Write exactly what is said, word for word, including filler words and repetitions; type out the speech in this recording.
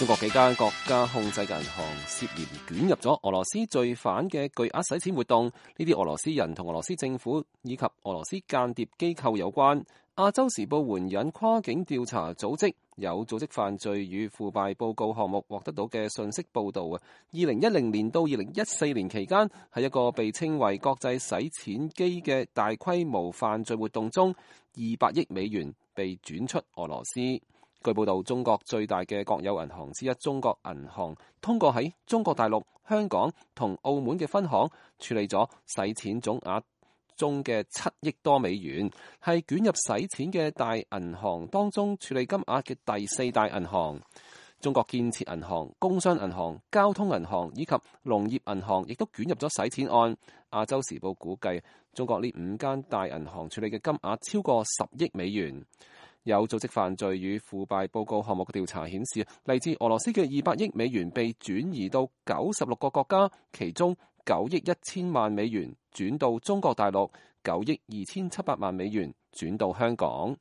中國幾間國家控制嘅銀行涉嫌捲入咗俄羅斯罪犯嘅巨額洗錢活動，呢啲俄羅斯人同俄羅斯政府以及俄羅斯間諜機構有關。亞洲時報援引跨境調查組織有組織犯罪與腐敗報告項目獲得到嘅信息報導啊，二零一零年到二零一四年期間，喺一個被稱為國際洗錢機嘅大規模犯罪活動中，二百億美元被轉出俄羅斯。據報道，中國最大嘅國有銀行之一中國銀行，通過喺中國大陸、香港同澳門嘅分行處理咗洗錢總額中嘅七億多美元，係捲入洗錢嘅大銀行當中處理金額嘅第四大銀行。中國建設銀行、工商銀行、交通銀行以及農業銀行亦都捲入咗洗錢案。亞洲時報估計，中國呢五間大銀行處理嘅金額超過十億美元。有組織犯罪與腐敗報告項目嘅調查顯示，嚟自俄羅斯嘅二百億美元被轉移到九十六個國家，其中九億一千萬美元轉到中國大陸，九億二千七百萬美元轉到香港。